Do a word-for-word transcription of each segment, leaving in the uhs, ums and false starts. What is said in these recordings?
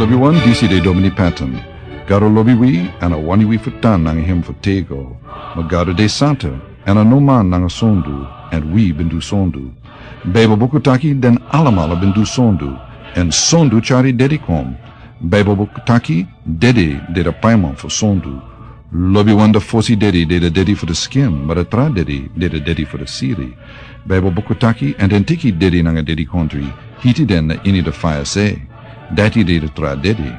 Wi wan disi de Domini Patton. Gado lobi wi, èn a wani wi fu tan nanga hem fu tego. Ma Gado de santa, èn a no man nanga sondu, èn wi ben du sondu. Baibel buku taki den alamala ben du sondu, èn sondu tyari dedi kon. Baibel buku taki dedi de de paiman fu sondu. Lobiwan de fosi dedi de de dedi fu de skin, ma de tra dedi de de dedi fu de siri. Baibel buku taki, èn den teki dedi nanga dedikontri, hiti den na ini de faya se. Dati de de tra dedi.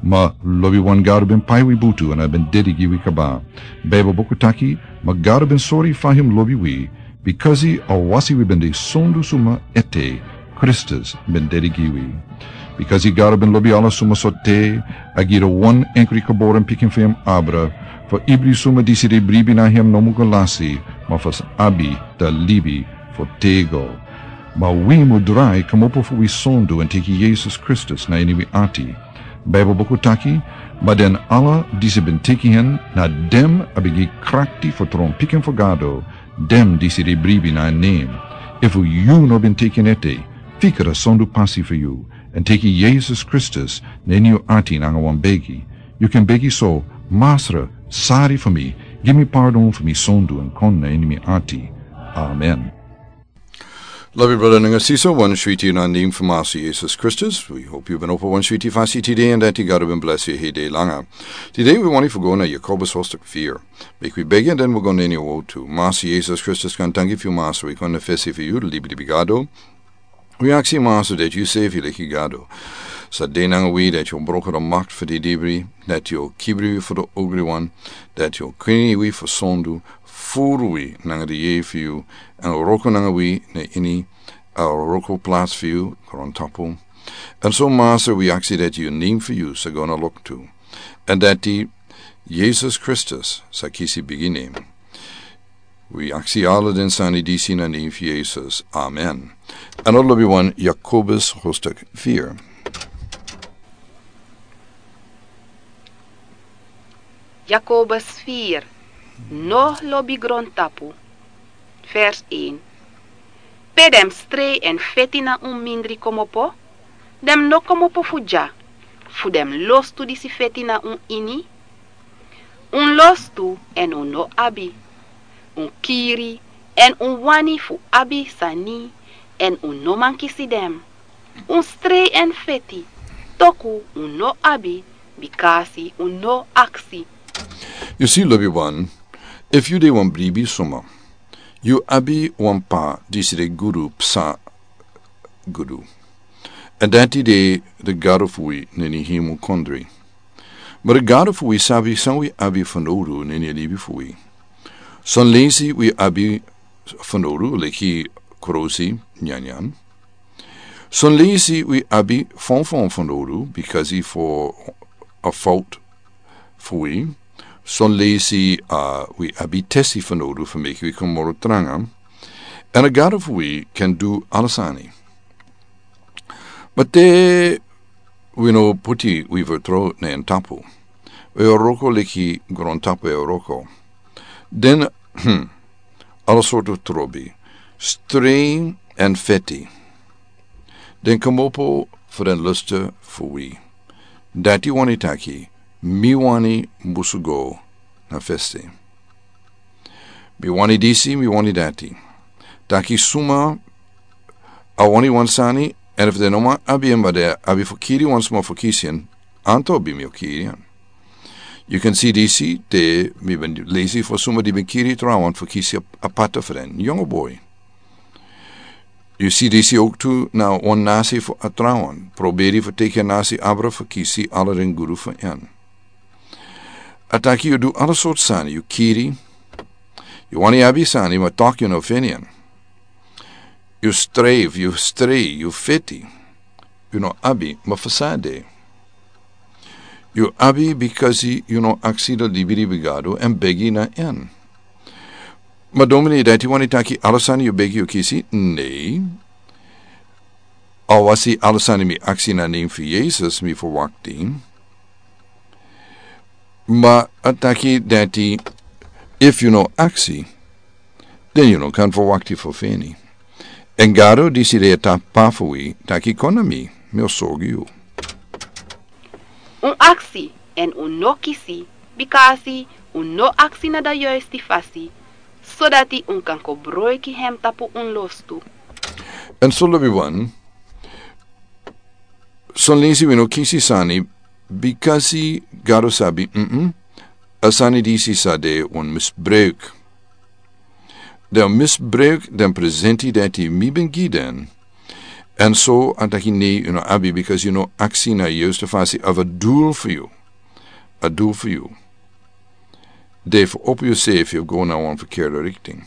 Ma lobiwan Gado ben pai wi butu èn a ben dedi gi wi kaba. Baibel buku taki, ma Gado ben sori fa hem lobi wi, bikasi a wasi wi ben de sondu suma ete, Kristus ben dedi gi wi. Bikasi Gado ben lobi ala suma so te, a gi de wan enkri geboren pikin fu hem abra, fu ibri suma disi de bribi na hem no mu go lasi, ma fu abi da libi fu tego. Ma wi mu drai kmopo fu wi sondu èn teki Yesus Kristus na ini wi ati. Baibel buku taki, ma den ala disi ben teki hen, na dem a ben gi krakti fu tron pikin fu Gado, dem disi de bribi na en nen. Efu yu no ben teki en ete, fika da sondu pasi fu yu, èn teki Yesus Kristus na ini yu ati nanga wan begi. Yu kan begi so, Masra, sari fu mi, gi mi pardon fu mi sondu èn kon na ini mi ati. Amen. Lobi brada nanga sisa, wan switi na nen fu Masi Yesus Kristus. Wi hopi yu ben opo wan switi fasi tide èn dati Gado ben blesi yu hede langa. Tide wi wani fu go na Jakobus hostuk fir. Meki wi begi èn den wi go na ini a wotu. Masi Yesus Kristus, kan tangi fu yu Masi, wi kon na fesi fu yu, libi libi Gado. Wi aksi Masi dati yu sefi leki Gado sa de nanga wi, dati yu broko da makti fu di dibri, dati yu kibri wi fu da ogriwan, dati yu krini wi fu sondu, furu wi nanga di yei fu yu, èn wroko nanga wi na ini a wroko plasi fu yu grontapu. Èn so Masi wi aksi dati yu nen fu yu sa go na loktu, èn dati Yesus Kristus sa kisi bigi nen. Wi aksi ala den sani disi na nen fu Yesus. Amen. Èn a lobiwan Jakobus hostuk fir. Jakobus fir. No lobi grontapu. Vers een. Pe den mus strei èn feti na un mindri kmopo, den mus no kmopo fu dya, fu den mus lostu disi feti na un ini. Un lostu èn un no abi. Un kiri èn un wani fu abi sani èn un no man kisi den. Un strei èn feti, toku un no abi, bikasi un no aksi. Yu si, lobiwan, efu yu de wan bribi suma, yu abi wan p'pa disi de gudu psa gudu. Èn dati de de Gado fu wi na ini hemel kondre. Ma de Gado fu wi sabi san wi abi fanowdu na ini a libi fu wi. Son leisi wi abi fanowdu leki krosi nyanyan. Son leisi wi abi fonfon fanowdu bikasi fu a fout fu wi. Son leisi, uh, wi abi tesi fanowdu fu meki wi kon moro tranga. Èn a Gado fu wi kan du ala sani. Ma te wi no puti wi fertrow na en tapu, wi e wroko leki grontapu e wroko, den, hmm, ala sortu trobi, strei èn feti, den kmopo fu den lustu fu wi. Dati wani taki, mi wani musu go na festi. Mi wani disi, mi wani dati. Taki suma a wani wan sani, èn efu den no man abi en, ma den abi fu kiri wan sma fu kisi en, anto bi mi o kiri en. Yu kan si disi te mi ben leisi fu suma di ben kiri trawan fu kisi a, a pata fu den yongo boi. Yu si disi ook tu na wan nasi fu a trawan, proberi fu teki a nasi abra fu kisi ala den gudu fu en. A taki yu du ala sortu sani, yu kiri, yu wani abi sani, ma tok yu no feni en. Yu streif, yu strei, yu feti, yu no abi, ma fu san de. Yu abi bikasi yu no aksi da libi libi Gado èn begi na en. Ma domini, dati wani taki ala sani yu begi yu kisi? Nei. Awasi ala sani mi aksi na nen fu Yesus mi ferwakti. Ma a taki dati, efu yu no aksi, den yu no kan ferwakti fu feni. Èn Gado disi de a p'pa fu wi taki kon na mi, mi o sorgu yu. Un aksi, èn un no kisi, bikasi un no aksi na da yoisti fasi, sodati un kan kobroiki hem tapu un lostu. Èn so lobi wan, son lensi wi no kisi sani, bikasi Gado sabi, mm, a sani disi sa de wan misbruik. Den misbruik den presenti dati mi ben gi den. Èn so a taki nei, yu no abi, bikasi yu no aksi na a yoisti fasi of a doel fu yu. A doel fu yu de fu opo yu sefi fu go na wan verkeerde richting.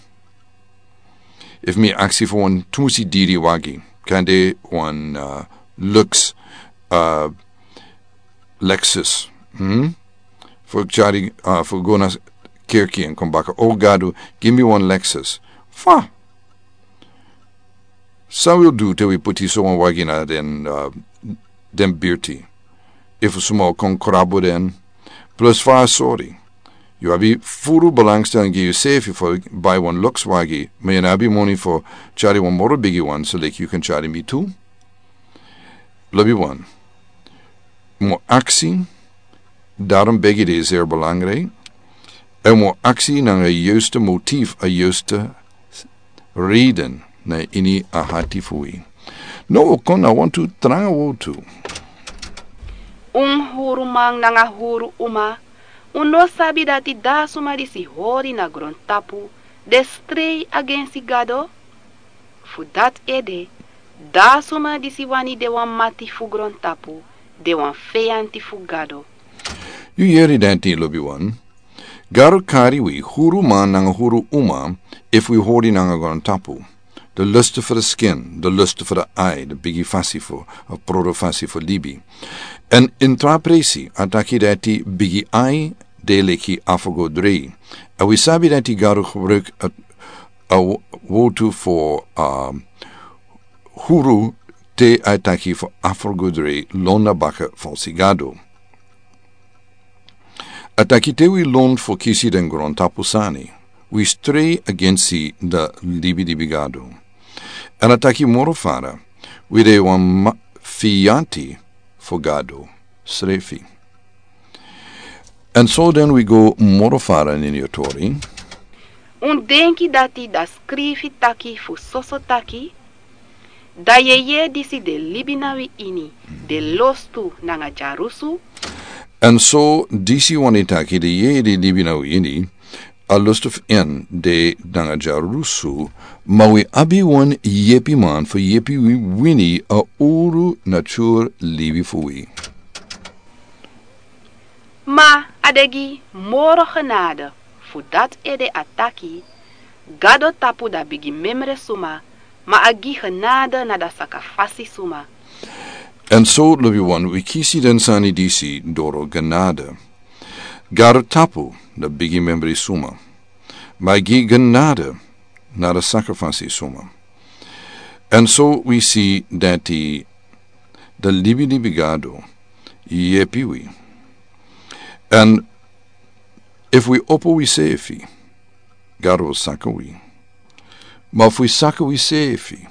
Efu mi aksi fu wan tumusi diri wagi, kan de wan, uh, Lux, uh, Lexus, hmm? Fu tyari, uh, fu go na kerki èn kon baka. O Gado, gi mi wan Lexus. Fa? San wi o du te wi puti so wan wagi na den, uh, den birti? Efu suma o kon krabu den? Plus fa a sori. Yu abi furu belangstelling gi yusefi fu bai wan Lux wagi, ma yu no abi moni fu tyari wan moro bigi wan, so leki yu kan tyari mi tu. Lobi wan. Mo aksi, darom begi de zeer belangrijk. En mo aksi nanga a yoisti motief, a yoisti reden na ini a hati fu wi. No, o kon na wantu tranga wotu. Un huru man nanga huru uma, un no sabi dati da suma disi hori na grontapu de strei agensi Gado? Fu dati ede, da suma disi wani de wan mati fu grontapu, de wan feyanti fu Gado. Yu yeri dati, lobi wan. Gado kari wi huru man nanga huru uma, efu wi hori nanga grontapu. De lusten fu de skin, de lusten fu de ai, de bigi fasi fu, a prodo fasi fu libi. En intra presi, a taki dati bigi ai, de leki afrogodrei. En wi sabi dati Gado gebruik a, a wo-, wotu fu, a, huru te a taki fu afrogodrei lon na baka falsi gado. A taki te wi lon fu kisi den grontapu sani, wi strei agensi da libi dibi Gado. En a taki moro fara, wi de wan ma-, fiyanti fu Gado srefi. En so den wi go moro fara nini a tori. Un denki dati da skrifi taki fu soso taki, da yeye disi de libi na wi ini, de lostu nanga dyarusu. En so disi wani taki de yeye di libi na wi ini, a lostu fu en de nanga dyarusu, ma wi abi wan yepi man fu yepi wi wini a uru natur libi fu wi. Ma a de gi moro genade, fu dati ede a taki, Gado tapu da bigi memre suma, ma a gi genade na da sakafasi suma. En so lobi wan wi kisi den sani disi doro genade. Gado tapu da bigi memre suma, ma a gi genade na da sakafasi suma. En so wi si dati da libi libi Gado yepi wi. En efu wi opo wisefi, Gado o saka wi. Ma efu wi saka wisefi,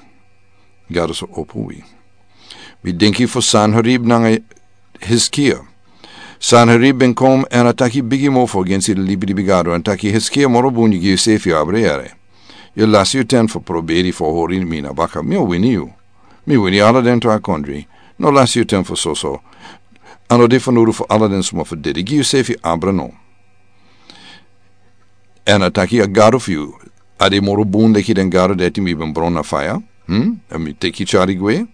Gado sa opo wi. Mi denki fu Sanherib nanga Hiskia. Sanherib ben kon en a taki bigi mofo agensi libi libi Gado, en taki Hiskia moro bun yu gi yusefi abra yere. Yu lasi yu ten fu proberi fu hori mi na baka, mi o wini yu. Mi wini ala den tra kondri. No lasi yu ten fu soso. A no de fanowdu fu ala den suma fu dede. Gi yusefi abra no. En a taki a Gado fu yu, a de moro bun leki den gado dati mi ben bron na faya. Hmm? En mi teki tyari gwe.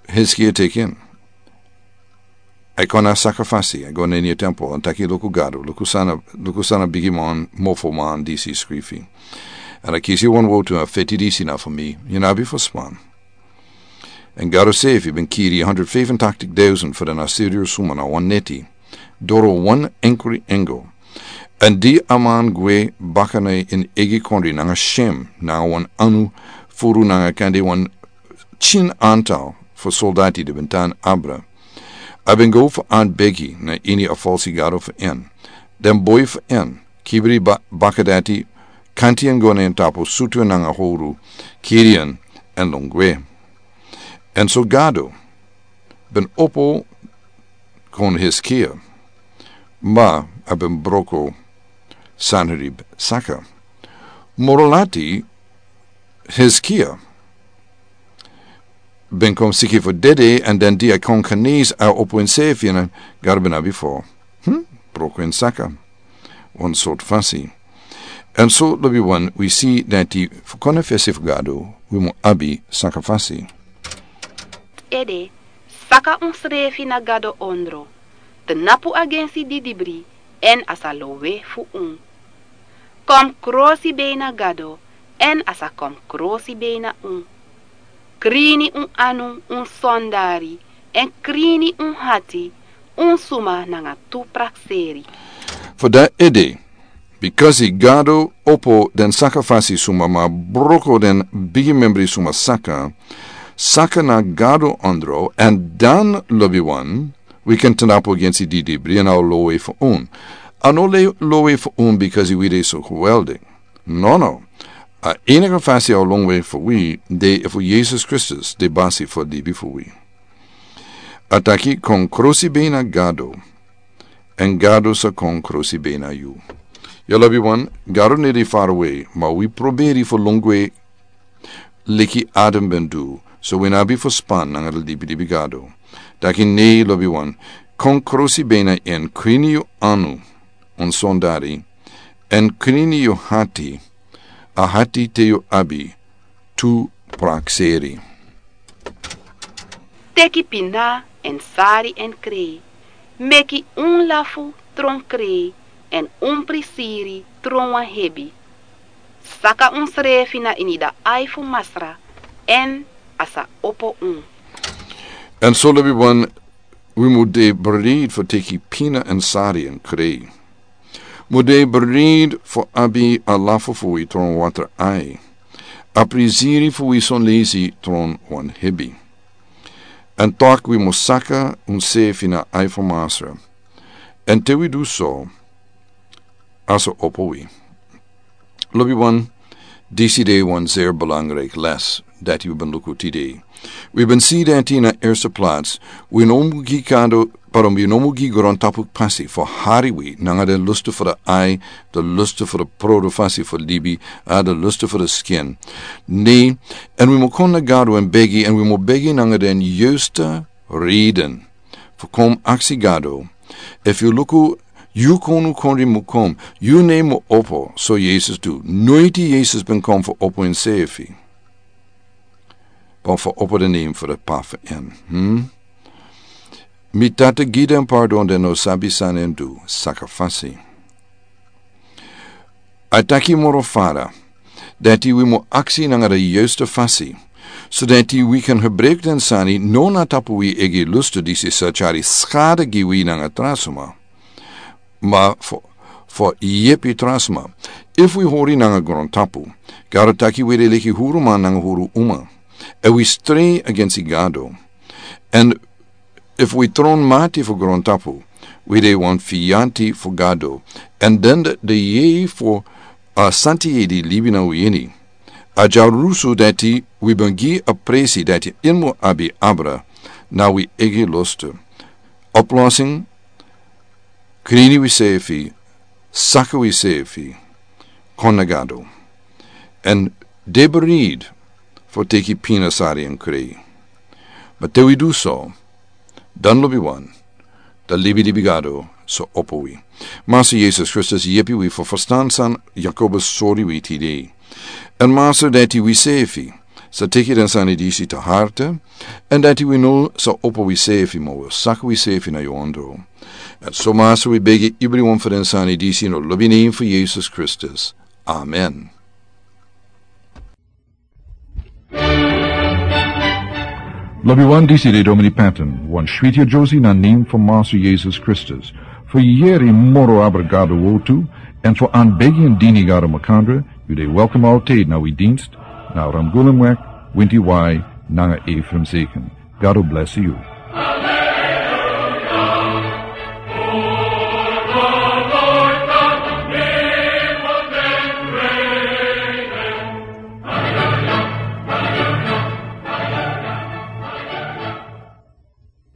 Hiskia teki en. A kon na sakrifisi, a go na ini a tempel, a taki luku Gado, luku san a, luku san a bigi man, mofo man disi skrifi. En a kisi wan wotu, a feti disi na fu mi, yu no abi fu span. En Gado sefi ben kiri honderd vijfentachtig duizend fu den Assyriër suma na wan neti. Doro wan enkri engel. En di a man gwe baka na en eigi kondri nanga Shem, nanga wan anu furu nanga kande wan tin antal fu soldati di ben tan abra. A ben go fu an begi na ini a falsi gado fu en. Den boi fu en, kibri ba-, baka dati, kanti en go na en tapu sutu en nanga howru, kiri en, en lon gwe. En so Gado ben opo kon Hiskia, ma a ben broko Sanherib saka. Moro lati Hiskia ben kon siki fu dede, èn den di a kon Kanis a opo en seefi, èn Gado ben abi fu, hmm, broko en saka wan sortu fasi. Èn so lobi wan, wi si dati fu kon na fesi fu Gado wi mu abi saka fasi. Ede, saka unsrefi na Gado ondro, tnapu agensi didibri èn a sa lowe fu un. Kon krosi bei na Gado èn a sa kon krosi bei na un. Krini un anu, un sondari, èn krini un hati, un suma nanga tu prakseri. Fu dati ede, bikasi Gado opo den saka fasi suma ma broko den bigi membri suma saka, saka na Gado ondro, èn dan lobi wan, wi kan tnapu agensi didibri èn a o lowe fu un. A no le lowe fu un bikasi wi de so geweldig. Nono. A enige fasi a o lowe fu wi de efu Yesus Kristus de basi fu libi fu wi. A taki kon krosi bei na Gado, èn Gado sa kon krosi bei na yu. Yu lobi wan, Gado no de farawe, ma wi proberi fu lon gwe leki Adam ben du, so wi no abi fu span nanga den libilibi gado. Taki nei lobi wan, kon krosi bei na en, krini yu anu, un sondari, èn krini yu hati, a hati te yu abi tu prakseri. Teki pina èn sari èn krei. Meki un lafu tron krei èn un prisiri tron wan hebi. Saka unsrefi na ini a ai fu Masra èn a sa opo un. Èn so lobi wan, wi mu de bereid fu teki pina èn sari èn krei. Mu de bereid fu abi a lafu fu wi tron watra ai. A prisiri fu wi sonleisi tron wan hebi. Èn taki wi mu saka unsefi na ai fu Masra. Èn te wi du so, a sa opo wi. Lobi wan, disi de wan zeer belangrijk les dati wi ben luku tide. Wi ben si dati na eerste plaats, wi no mu gi gado, pardon, wi no mu gi grontapu pasi fu hari wi nanga den lustu fu de ai, den lustu fu de produ fasi fu libi, a den lustu fu de skin. Nei, èn wi mu kon na Gado èn begi, èn wi mu begi nanga den juiste reden. Fu kon aksi Gado, efu yu luku, yu konu kondre mu kon, yu nen mu opo, so Yesus du. Noiti Yesus ben kon fu opo ensefi, ma fu opo den nen fu de P'pa fu en. Hmm? Mi Tata, gi den pardon, den no sabi san den du, saka fasi. A taki moro fara, dati wi mu aksi nanga de juiste fasi, so dati wi kan gebruik den sani no na tapu wi eigi lustu disi sa tyari skada gi wi nanga tra sma, ma fu, fu yepi tra sma. Efu wi hori nanga grontapu, Gado taki wi de leki huru man nanga huru uma. Èn wi strei agensi Gado. Èn efu wi tron mati fu grontapu, wi de wan fianti fu Gado. Èn den de yei fu a santi yei di libi na wi ini. A dyarusu dati wi ben gi a presi dati en mu abi abra na wi eigi lustu. Oplossing, krini wisefi, saka wisefi, kon na Gado. Èn de bereid fu teki pina, sari èn krei. Ma te wi du so, dan lobi wan, den libilibi Gado sa opo wi. Masra Yesus Kristus yepi wi fu ferstan san Yakobus sori wi tide. Èn Masra, dati wisefi sa teki den sani disi te harte, èn dati wi no sa opo wisefi, ma wi saka wisefi na yu ondro. Èn so Masra, wi begi ibri wan fu den sani disi na lobi nen fu Yesus Kristus. Amen. Lobi wan, disi de Domini Patton, wan switi a Josie na nen fu Masra Yesus Kristus. Fu yeri moro abra Gado wortu, èn fu anbegi èn dini Gado makandra, yu de welkom altijd na wi dienst, na Ramgulemweg, winti wai, nanga Ephraim Zeken. Gado bless yu.